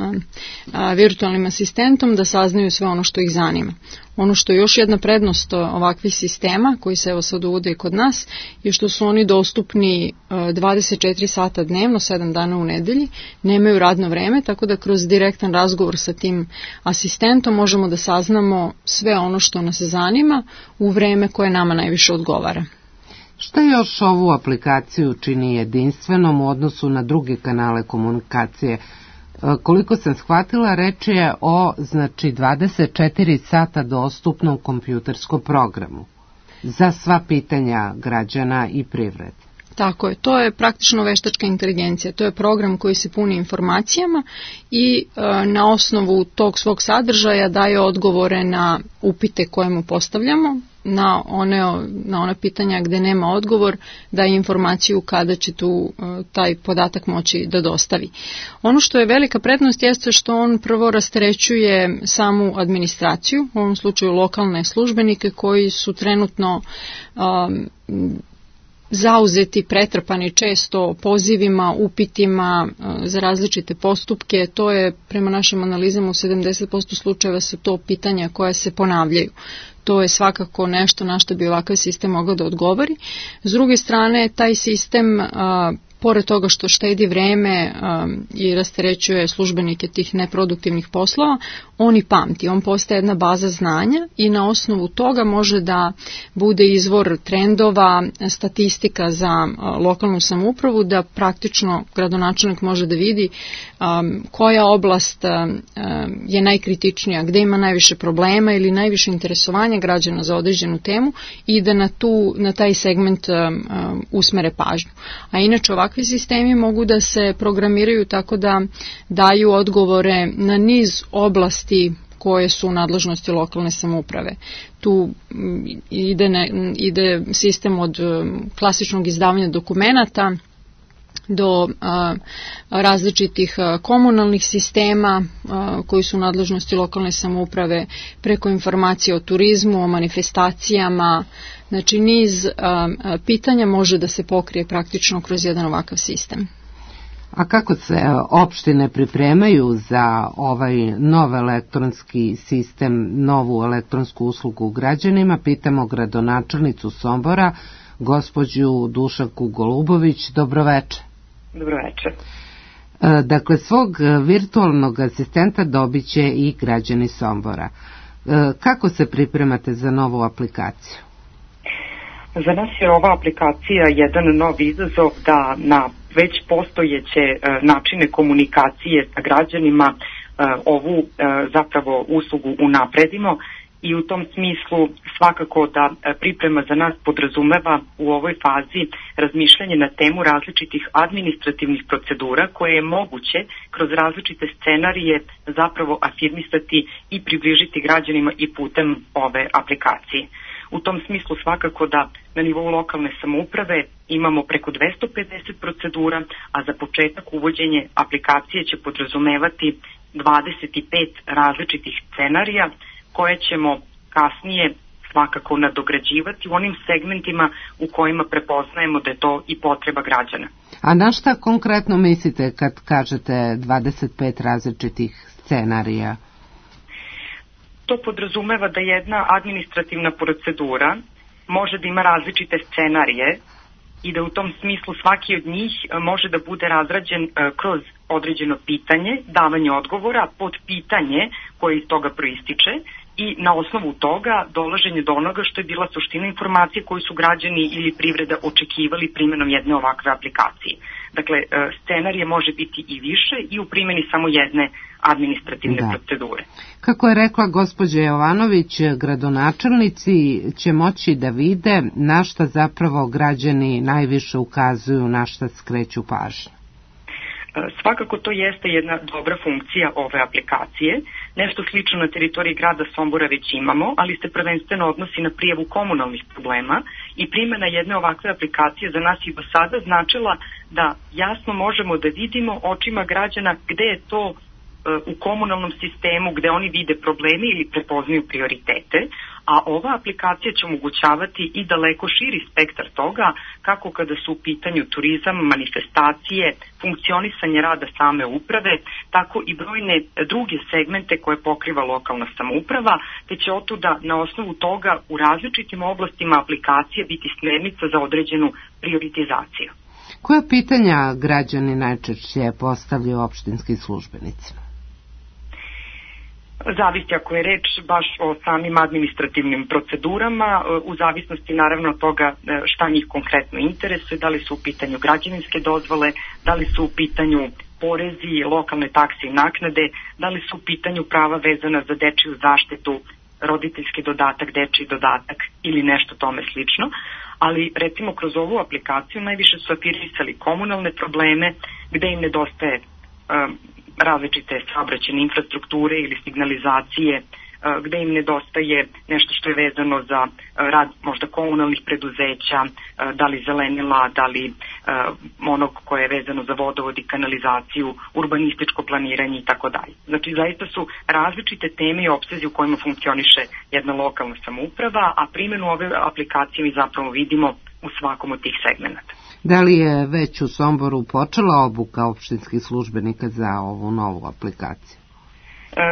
virtualnim asistentom da saznaju sve ono što ih zanima. Ono što je još jedna prednost ovakvih sistema, koji se evo sad uvode i kod nas, je što su oni dostupni 24 sata dnevno, 7 dana u nedelji, nemaju radno vreme, tako da kroz direktan razgovor sa tim asistentom možemo da saznamo sve ono što nas zanima u vreme koje nama najviše odgovara.
Šta još ovu aplikaciju čini jedinstvenom u odnosu na druge kanale komunikacije? Koliko sam shvatila, reč je o 24 sata dostupnom kompjuterskom programu za sva pitanja građana i privrede.
Tako je, to je praktično veštačka inteligencija, to je program koji se puni informacijama i na osnovu tog svog sadržaja daje odgovore na upite koje mu postavljamo, na ona pitanja gde nema odgovor, daje informaciju kada će taj podatak moći da dostavi. Ono što je velika prednost jeste što on prvo rasterećuje samu administraciju, u ovom slučaju lokalne službenike koji su trenutno zauzeti, pretrpani često pozivima, upitima za različite postupke. To je prema našim analizama u 70% slučajeva su to pitanja koja se ponavljaju. To je svakako nešto na što bi ovakav sistem mogao da odgovori. S druge strane, taj sistem, pored toga što štedi vreme i rasterećuje službenike tih neproduktivnih poslova, on i pamti. On postaje jedna baza znanja i na osnovu toga može da bude izvor trendova, statistika za lokalnu samoupravu, da praktično gradonačelnik može da vidi koja oblast je najkritičnija, gde ima najviše problema ili najviše interesovanja građana za određenu temu i da na taj segment usmere pažnju. A inače ovakvi sistemi mogu da se programiraju tako da daju odgovore na niz oblasti koje su u nadležnosti lokalne samouprave. Tu ide sistem od klasičnog izdavanja dokumenata do različitih komunalnih sistema koji su u nadležnosti lokalne samouprave, preko informacije o turizmu, o manifestacijama. Znači niz pitanja može da se pokrije praktično kroz jedan ovakav sistem.
A kako se opštine pripremaju za ovaj nov elektronski sistem, novu elektronsku uslugu građanima? Pitamo gradonačelnicu Sombora, gospođu Dušanku Golubović. Dobroveče.
Dobroveče.
Dakle, svog virtualnog asistenta dobit će i građani Sombora. Kako se pripremate za novu aplikaciju?
Za nas je ova aplikacija jedan nov izazov da na već postojeće načine komunikacije sa građanima ovu zapravo uslugu unapredimo i u tom smislu svakako da priprema za nas podrazumeva u ovoj fazi razmišljanje na temu različitih administrativnih procedura koje je moguće kroz različite scenarije zapravo afirmisati i približiti građanima i putem ove aplikacije. U tom smislu svakako da na nivou lokalne samouprave imamo preko 250 procedura, a za početak uvođenje aplikacije će podrazumevati 25 različitih scenarija koje ćemo kasnije svakako nadograđivati u onim segmentima u kojima prepoznajemo da je to i potreba građana.
A na šta konkretno mislite kad kažete 25 različitih scenarija?
To podrazumeva da jedna administrativna procedura može da ima različite scenarije i da u tom smislu svaki od njih može da bude razrađen kroz određeno pitanje, davanje odgovora, podpitanje koje iz toga proističe i na osnovu toga dolaženje do onoga što je bila suština informacije koju su građani ili privreda očekivali primjenom jedne ovakve aplikacije. Dakle, scenarije može biti i više i u primjeni samo jedne administrativne procedure.
Kako je rekla gospođa Jovanović, gradonačelnici će moći da vide na šta zapravo građani najviše ukazuju, na šta skreću pažnju.
Svakako to jeste jedna dobra funkcija ove aplikacije. Nešto slično na teritoriji grada Sombora već imamo, ali se prvenstveno odnosi na prijavu komunalnih problema i primjena jedne ovakve aplikacije za nas i do sada značila da jasno možemo da vidimo očima građana gde je to u komunalnom sistemu gde oni vide probleme ili prepoznaju prioritete, a ova aplikacija će omogućavati i daleko širi spektar toga kako kada su u pitanju turizam, manifestacije, funkcionisanje rada same uprave, tako i brojne druge segmente koje pokriva lokalna samouprava, te će otuda na osnovu toga u različitim oblastima aplikacije biti smernica za određenu prioritizaciju.
Koja pitanja građani najčešće postavljaju opštinskim službenicima?
Zavisi ako je reč baš o samim administrativnim procedurama, u zavisnosti naravno od toga šta njih konkretno interesuje, da li su u pitanju građevinske dozvole, da li su u pitanju porezi, lokalne takse i naknade, da li su u pitanju prava vezana za dečiju zaštitu, roditeljski dodatak, dečiji dodatak ili nešto tome slično, ali recimo kroz ovu aplikaciju najviše su afirmisali komunalne probleme gde im nedostaje različite saobraćajne infrastrukture ili signalizacije, gde im nedostaje nešto što je vezano za rad možda komunalnih preduzeća, da li zelenila, da li onog koje je vezano za vodovod i kanalizaciju, urbanističko planiranje i tako dalje. Znači zaista su različite teme i opsezi u kojima funkcioniše jedna lokalna samouprava, a primjenu ove aplikacije mi zapravo vidimo u svakom od tih segmenata.
Da li je već u Somboru počela obuka opštinskih službenika za ovu novu aplikaciju?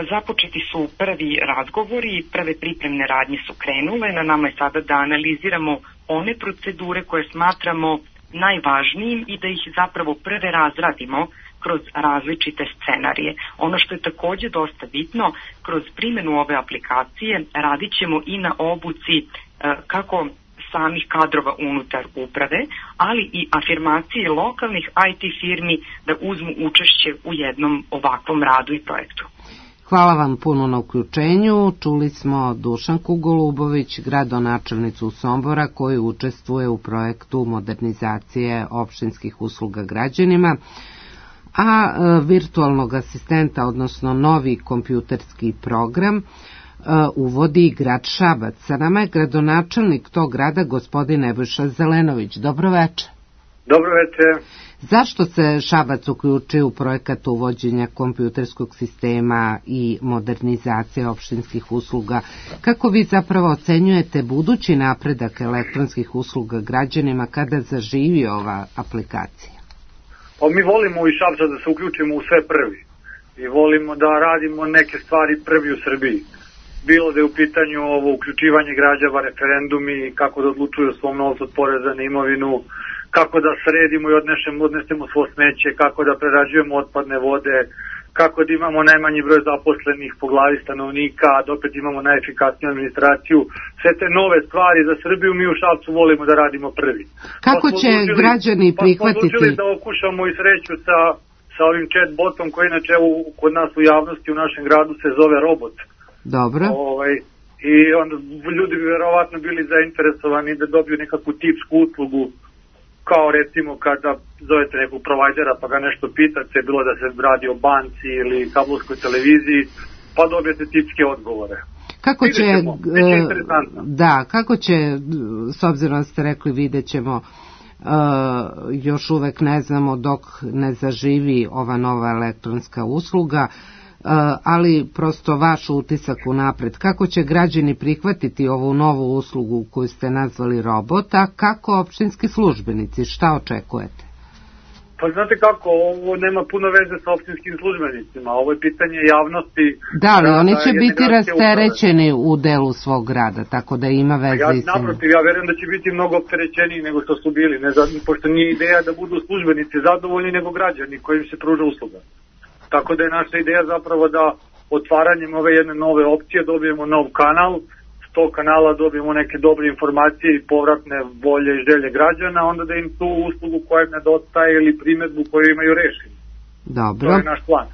Započeti su prvi razgovori, prve pripremne radnje su krenule, na nama je sada da analiziramo one procedure koje smatramo najvažnijim i da ih zapravo prve razradimo kroz različite scenarije. Ono što je takođe dosta bitno, kroz primjenu ove aplikacije radit ćemo i na obuci kako samih kadrova unutar uprave, ali i afirmacije lokalnih IT firmi da uzmu učešće u jednom ovakvom radu i projektu.
Hvala vam puno na uključenju. Čuli smo Dušanku Golubović, gradonačelnicu Sombora, koji učestvuje u projektu modernizacije opštinskih usluga građanima, a virtualnog asistenta, odnosno novi kompjuterski program, uvodi grad Šabac. Sa nama je gradonačelnik tog grada, gospodin Nebojša Zelenović. Dobro večer.
Dobro večer.
Zašto se Šabac uključio u projekat uvođenja kompjuterskog sistema i modernizacije opštinskih usluga? Kako vi zapravo ocenjujete budući napredak elektronskih usluga građanima kada zaživi ova aplikacija?
Pa mi volimo iz Šabca da se uključimo u sve prvi i volimo da radimo neke stvari prvi u Srbiji. Bilo da je u pitanju ovo uključivanje građana, referendumi, kako da odlučuju o svom novcu od poreza na imovinu, kako da sredimo i odnesemo svo smeće, kako da prerađujemo otpadne vode, kako da imamo najmanji broj zaposlenih po glavi stanovnika, da opet imamo najefikasniju administraciju. Sve te nove stvari za Srbiju mi u Šapcu volimo da radimo prvi.
Kako će građani prihvatiti?
Pa smo odlučili da okušamo i sreću sa ovim chatbotom koji inače kod nas u javnosti u našem gradu se zove robot.
Dobro.
I onda ljudi bi verovatno bili zainteresovani da dobiju nekakvu tipsku uslugu, kao recimo kada zovete nekog provajdera pa ga nešto pitate, bilo da se radi o banci ili kablovskoj televiziji, pa dobijete tipske odgovore.
Kako će, kako će, s obzirom da ste rekli vidjet ćemo, još uvek ne znamo dok ne zaživi ova nova elektronska usluga, ali prosto vaš utisak unapred. Kako će građani prihvatiti ovu novu uslugu koju ste nazvali robota, kako opštinski službenici, šta očekujete?
Pa znate kako, ovo nema puno veze sa opštinskim službenicima, ovo je pitanje javnosti.
Da, ali oni će biti rasterećeni u delu svog rada, tako da ima veze i sa...
Naprotiv, ja verujem da će biti mnogo opterećeniji nego što su bili, pošto nije ideja da budu službenici zadovoljni nego građani kojim se pruža usluga. Tako da je naša ideja zapravo da otvaranjem ove jedne nove opcije dobijemo nov kanal, s tog kanala dobijemo neke dobre informacije i povratne volje i želje građana, onda da im tu uslugu koja im nedostaje ili primedbu koju imaju rešenu.
Dobro.
To je naš plan.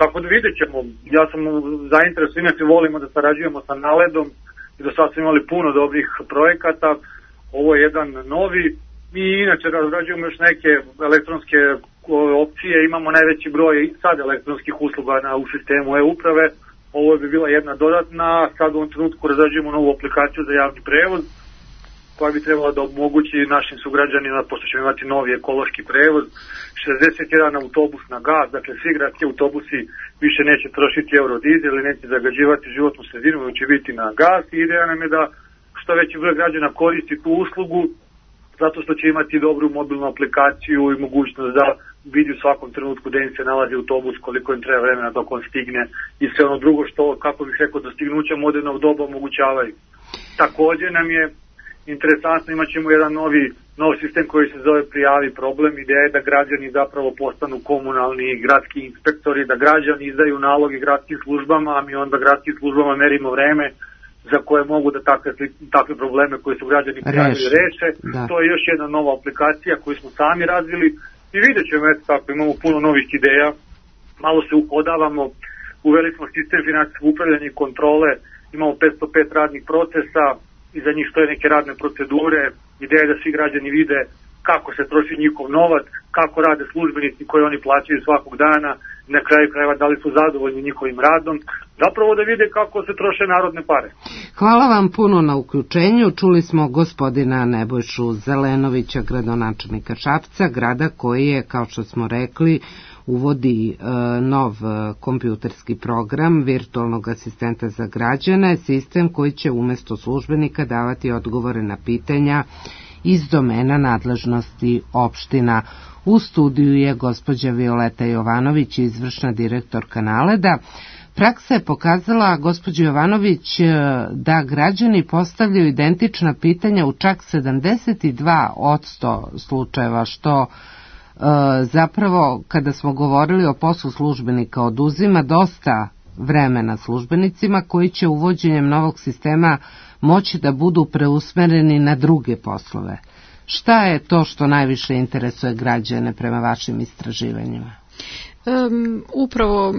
Tako da vidjet ćemo, ja sam zainteresovan, inače volimo da sarađujemo sa Naledom i do sad smo imali puno dobrih projekata, ovo je jedan novi, mi inače razrađujemo još neke elektronske opcije, imamo najveći broj sad elektronskih usluga u sistemu e-uprave, ovo bi bila jedna dodatna, sad u ovom trenutku razrađujemo novu aplikaciju za javni prevoz, koja bi trebala da omogući našim sugrađanima, pošto ćemo imati novi ekološki prevoz, 61 autobus na gas, dakle svi gradski autobusi više neće trošiti eurodizel ili neće zagađivati životnu sredinu, nego će biti na gas i ideja nam je da što veći broj građana koristi tu uslugu, zato što će imati dobru mobilnu aplikaciju i mogućnost da vidi u svakom trenutku gde im se nalazi autobus, koliko im treba vremena dok on stigne i sve ono drugo što, kako bih rekao, dostignuća modernog doba omogućavaju. Također nam je interesantno, imat ćemo jedan nov sistem koji se zove Prijavi problem. Ideja je da građani zapravo postanu komunalni i gradski inspektori, da građani izdaju naloge gradskim službama, a mi onda gradskim službama merimo vreme za koje mogu da takve probleme koje su građani prijavili reše. To je još jedna nova aplikacija koju smo sami razvili i vidjet ćemo, eto tako, imamo puno novih ideja, malo se uhodavamo, uveli smo sistem finansijskog upravljanja i kontrole, imamo 505 radnih procesa, iza njih stoje neke radne procedure, ideja je da svi građani vide kako se troši njihov novac, kako rade službenici koji oni plaćaju svakog dana, na kraju krajeva da li su zadovoljni njihovim radom, zapravo da vide kako se troše narodne pare.
Hvala vam puno na uključenju. Čuli smo gospodina Nebojšu Zelenovića, gradonačelnika Šapca, grada koji je, kao što smo rekli, uvodi nov kompjuterski program virtualnog asistenta za građane, sistem koji će umjesto službenika davati odgovore na pitanja iz domena nadležnosti opština. U studiju je gospođa Violeta Jovanović, izvršna direktorka Naleda. Praksa je pokazala, gospođo Jovanović, da građani postavljaju identična pitanja u čak 72% slučajeva, što zapravo, kada smo govorili o poslu službenika, oduzima dosta vremena službenicima koji će uvođenjem novog sistema moći da budu preusmereni na druge poslove. Šta je to što najviše interesuje građane prema vašim istraživanjima?
Upravo,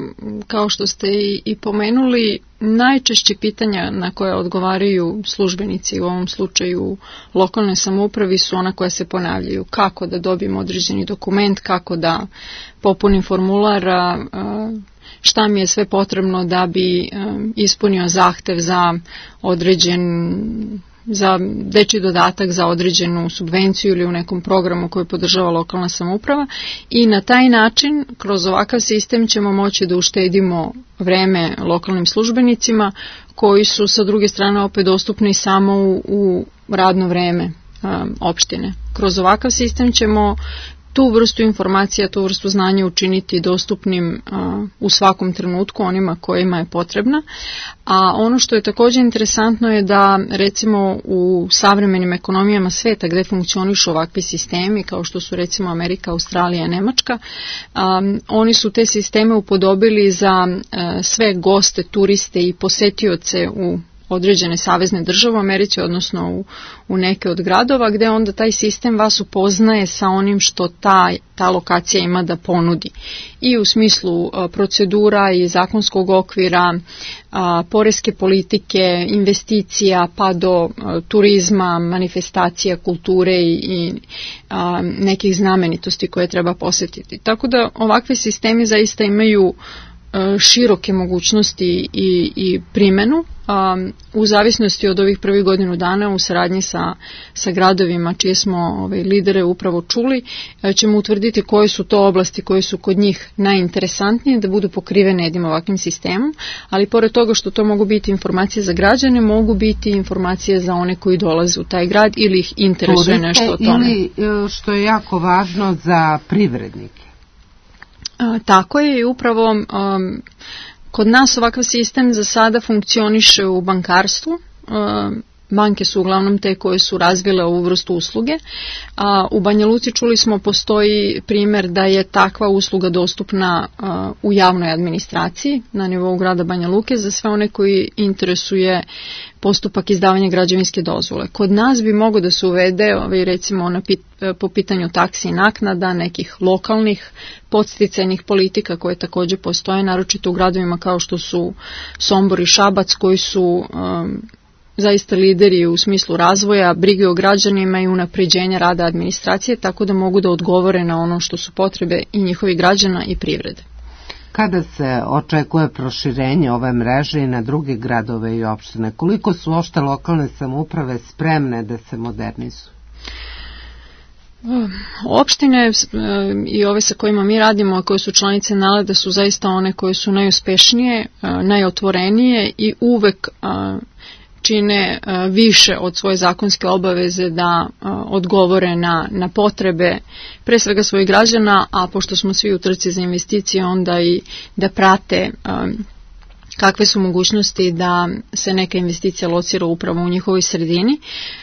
kao što ste i pomenuli, najčešće pitanja na koje odgovaraju službenici, u ovom slučaju lokalne samoupravi, su ona koja se ponavljaju. Kako da dobijem određeni dokument, kako da popunim formular, šta mi je sve potrebno da bi ispunio zahtev za dečji dodatak, za određenu subvenciju ili u nekom programu koji podržava lokalna samouprava, i na taj način, kroz ovakav sistem, ćemo moći da uštedimo vreme lokalnim službenicima koji su sa druge strane opet dostupni samo u radno vreme opštine. Kroz ovakav sistem ćemo tu vrstu informacija, tu vrstu znanja učiniti dostupnim u svakom trenutku onima kojima je potrebna. A ono što je također interesantno je da recimo u savremenim ekonomijama sveta gdje funkcionišu ovakvi sistemi kao što su recimo Amerika, Australija, Nemačka, oni su te sisteme upodobili za sve goste, turiste i posetioce u određene savezne države u Americi, odnosno u neke od gradova, gdje onda taj sistem vas upoznaje sa onim što ta lokacija ima da ponudi. I u smislu procedura i zakonskog okvira, poreske politike, investicija, pa do turizma, manifestacija, kulture i nekih znamenitosti koje treba posjetiti. Tako da ovakvi sistemi zaista imaju široke mogućnosti i primjenu u zavisnosti od ovih prvih godinu dana u saradnji sa gradovima čije smo lidere upravo čuli, ćemo utvrditi koje su to oblasti koje su kod njih najinteresantnije da budu pokrivene jednim ovakvim sistemom, ali pored toga što to mogu biti informacije za građane, mogu biti informacije za one koji dolaze u taj grad ili ih interesuje nešto o tome.
Ili što je jako važno za privrednike.
Tako je i upravo kod nas ovakav sistem za sada funkcioniše u bankarstvu. Banke su uglavnom te koje su razvile ovu vrstu usluge. U Banja Luci čuli smo postoji primjer da je takva usluga dostupna u javnoj administraciji na nivou grada Banja Luke za sve one koji interesuje postupak izdavanja građevinske dozvole. Kod nas bi moglo da se uvede recimo po pitanju taksi i naknada, nekih lokalnih podsticajnih politika koje također postoje, naročito u gradovima kao što su Sombor i Šabac koji su zaista lideri u smislu razvoja, brige o građanima i unapređenja rada administracije, tako da mogu da odgovore na ono što su potrebe i njihovih građana i privrede.
Kada se očekuje proširenje ove mreže i na druge gradove i opštine, koliko su uopšte lokalne samouprave spremne da se modernizuju?
Opštine i ove sa kojima mi radimo, a koje su članice NALED-a, su zaista one koje su najuspešnije, najotvorenije i uvek čine više od svoje zakonske obaveze da odgovore na potrebe pre svega svojih građana, a pošto smo svi u trci za investicije, onda i da prate kakve su mogućnosti da se neka investicija locira upravo u njihovoj sredini.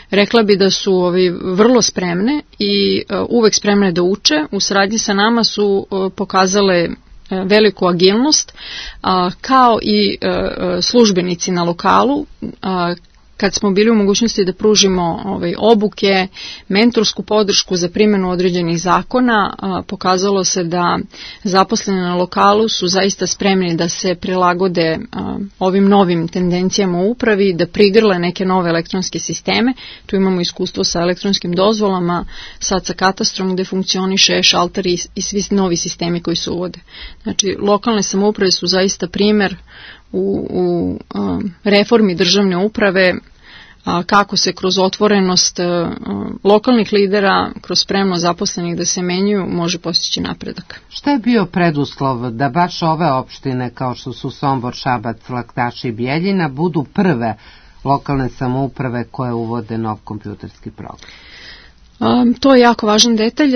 Rekla bi da su vrlo spremne i uvek spremne da uče. U saradnji sa nama su pokazale veliku agilnost, kao i službenici na lokalu. Kad smo bili u mogućnosti da pružimo obuke, mentorsku podršku za primjenu određenih zakona, pokazalo se da zaposleni na lokalu su zaista spremni da se prilagode ovim novim tendencijama u upravi, da prigrle neke nove elektronske sisteme. Tu imamo iskustvo sa elektronskim dozvolama, sad sa katastrom gde funkcioniše šalter i svi novi sistemi koji se uvode. Znači, lokalne samouprave su zaista primjer u reformi državne uprave, kako se kroz otvorenost lokalnih lidera, kroz spremnost zaposlenih da se menjaju, može postići napredak.
Šta je bio preduslov da baš ove opštine kao što su Sombor, Šabac, Laktaš i Bjeljina budu prve lokalne samouprave koje uvode nov kompjuterski program?
To je jako važan detalj,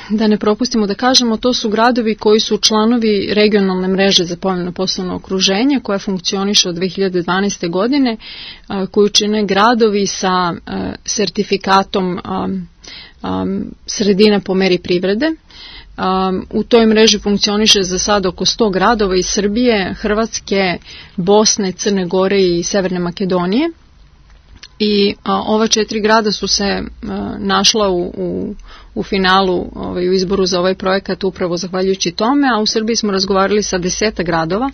da ne propustimo da kažemo, to su gradovi koji su članovi regionalne mreže za povoljno poslovno okruženje koja funkcioniše od 2012. godine, koju čine gradovi sa sertifikatom sredina po meri privrede. U toj mreži funkcioniše za sad oko 100 gradova iz Srbije, Hrvatske, Bosne, Crne Gore i Severne Makedonije. I ova 4 grada su se našla u finalu u izboru za ovaj projekat upravo zahvaljujući tome, a u Srbiji smo razgovarali sa 10 gradova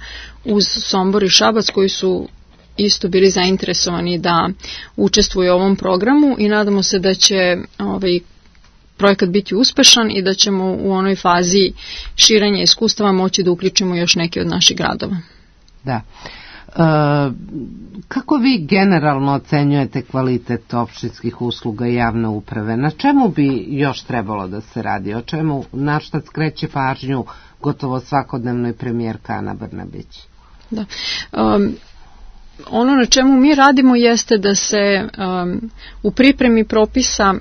uz Sombor i Šabac koji su isto bili zainteresovani da učestvuju u ovom programu i nadamo se da će projekat biti uspešan i da ćemo u onoj fazi širenja iskustava moći da uključimo još neke od naših gradova.
Da. Kako vi generalno ocenjujete kvalitet opštinskih usluga i javne uprave? Na čemu bi još trebalo da se radi? O čemu, na šta skreće pažnju gotovo svakodnevno i premijerka Ana Brnabić?
Da. Ono na čemu mi radimo jeste da se u pripremi propisa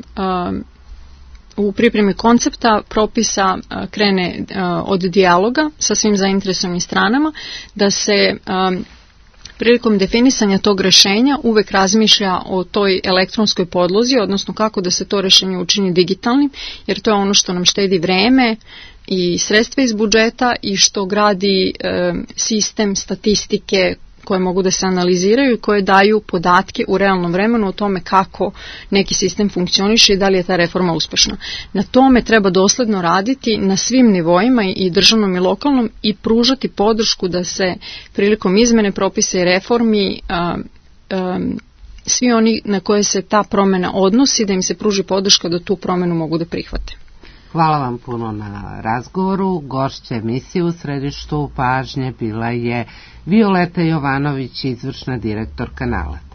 u pripremi koncepta propisa krene od dijaloga sa svim zainteresovanim stranama, da se prilikom definisanja tog rešenja uvek razmišlja o toj elektronskoj podlozi, odnosno kako da se to rešenje učini digitalnim, jer to je ono što nam štedi vreme i sredstva iz budžeta i što gradi sistem statistike koje mogu da se analiziraju i koje daju podatke u realnom vremenu o tome kako neki sistem funkcioniše i da li je ta reforma uspešna. Na tome treba dosledno raditi na svim nivoima, i državnom i lokalnom, i pružati podršku da se prilikom izmene propisa i reformi svi oni na koje se ta promena odnosi, da im se pruži podrška da tu promenu mogu da prihvate.
Hvala vam puno na razgovoru. Gošća emisije u središtu pažnje bila je Violeta Jovanović, izvršna direktorka NALED.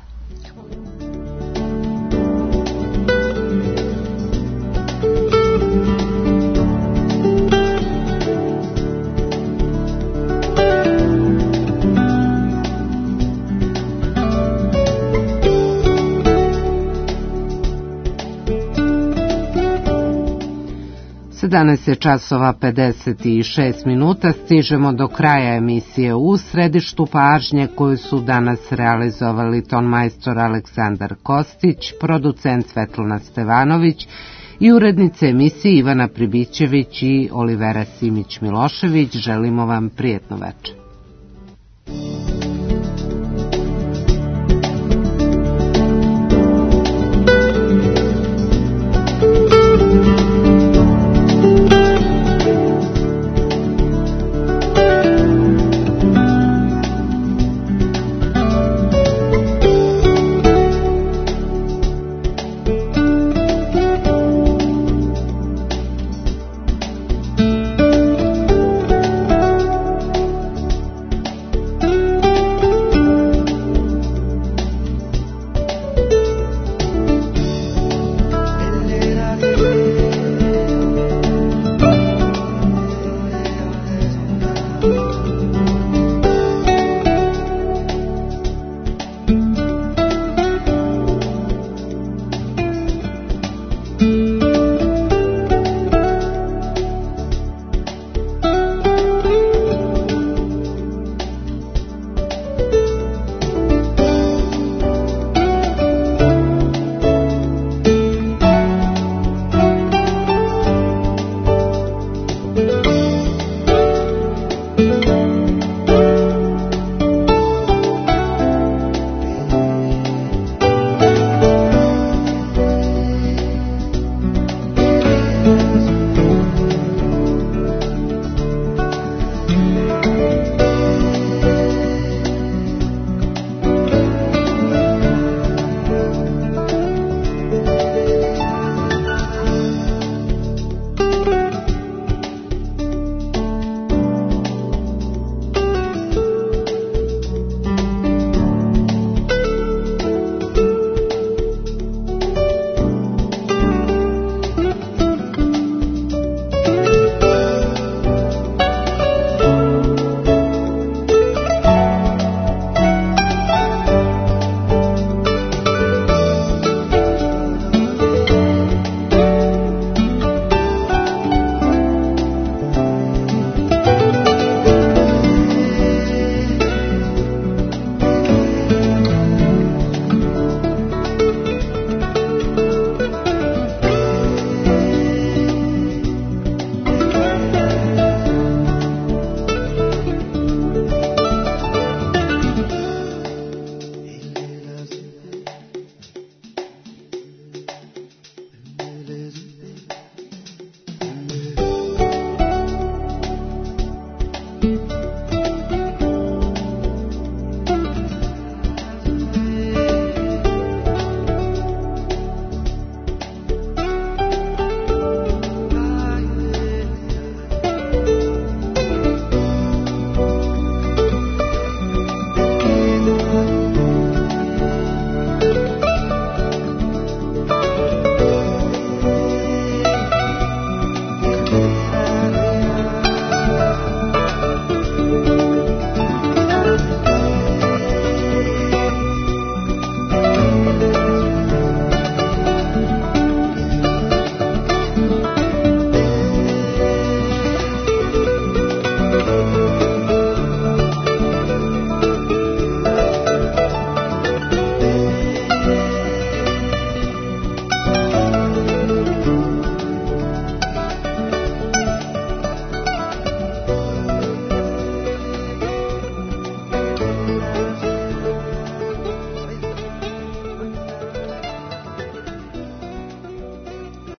Danas je časova 56 minuta, stižemo do kraja emisije u središtu pažnje koju su danas realizovali tonmajstor Aleksandar Kostić, producent Svetlana Stevanović i urednice emisije Ivana Pribićević i Olivera Simić-Milošević. Želimo vam prijetno večer.